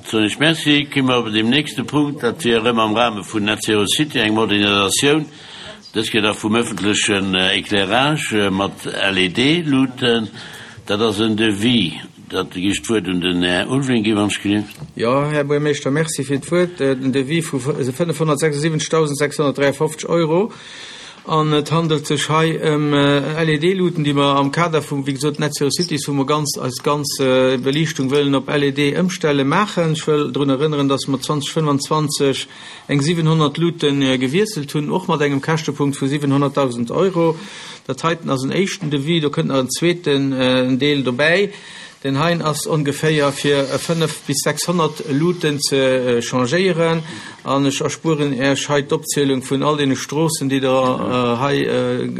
Soen ech Merci. Komme mer op deem nächste Punkt, dat wier erëm am Rahme vun Net Zero City eng Modernisatioun, dës Kéier da vum öffentlechen Éclairage mat LED-Luuten. Dat ass en Devis. Dat gi ech d'Wuert un den Här Ulveling ginn, wann ech gelift. Jo, Här Buermeeschter, Merci fir d'Wuert. Den Devis vu 576.653 Euro. An et handelt sech hei ëm LED-Luuten, déi mer am Kader vum, wéi gesot, Net Zero Cities, wou mer ganz eis ganz Beliichtung wëllen op LED ëmstellen, maachen. Ech wëll drun erënneren, dass mer 2025 eng 700 Luute gewiesselt hunn, och mat engem Käschtepunkt vu 700.000 Euro. Dat heiten ass en éischten Devis, do kënnt nach en zweeten Deel dobäi. Deen heien ass ongeféier fir 5 bis 600 Luuten ze changéieren. An ech erspueren Äech hei d'Opzielung vun all deene Stroossen, déi Der hei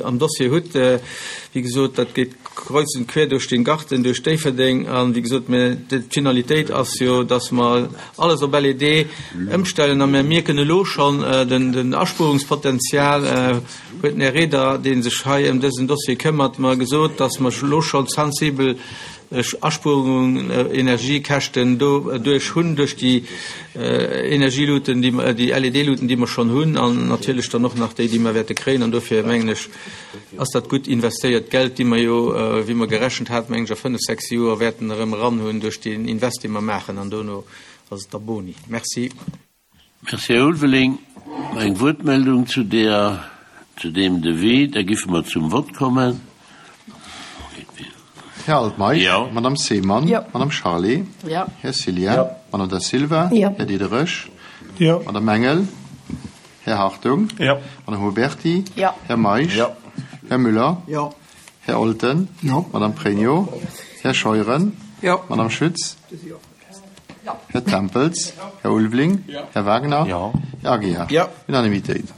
am Dossier hutt. Wéi gesot, dat geet kreuz und quer duerch den Garten, duerch Déifferdeng. An, wéi gesot, mir, d'Finalitéit ass jo, dass mer alles op LED ëmstellen. A mir mierken elo schonn den Aspuerungspotenzial. Huet den Här Reder, dee sech hei ëm dësen Dossier këmmert, mer gesot, dass mer elo scho sensibel Aspuerungen, Energiekäschten doduerch hunn, duerch déi Energieluten, déi LED-Luten, déi mer schonn hunn, an natierlech dann och nach déi, déi mer wäerte kréien. An dofir mengen ech, ass dat gutt investéiert Geld, déi mer jo, wéi mer gerechent haten, mengen ech, a fënnf, sechs Joer wäerten erëm eran hunn duerch deen Invest, dee mer maachen. An dono ass et da boni. Merci. Merci, Här Ulveling. Eng Wuertmeldung zu där, zu deem Devis? Da giffe mer zum Vott kommen. Här Altmeisch? Jo. Madame Seemann? Jo. Madame Charlé? Jo. Här Cillien? Jo. Madame Da Silva? Jo. Här Diderich? Jo. Madame Engel? Här Hartung? Jo. Madame Huberty? Jo. Här Meisch? Jo. Här Müller? Jo. Här Olten? Jo. Madame Pregno? Här Scheuren? Jo. Madame Schütz? Jo. Här Tempels? Här Ulveling? Här Wagner? Här Aguiar? Unanimitéit.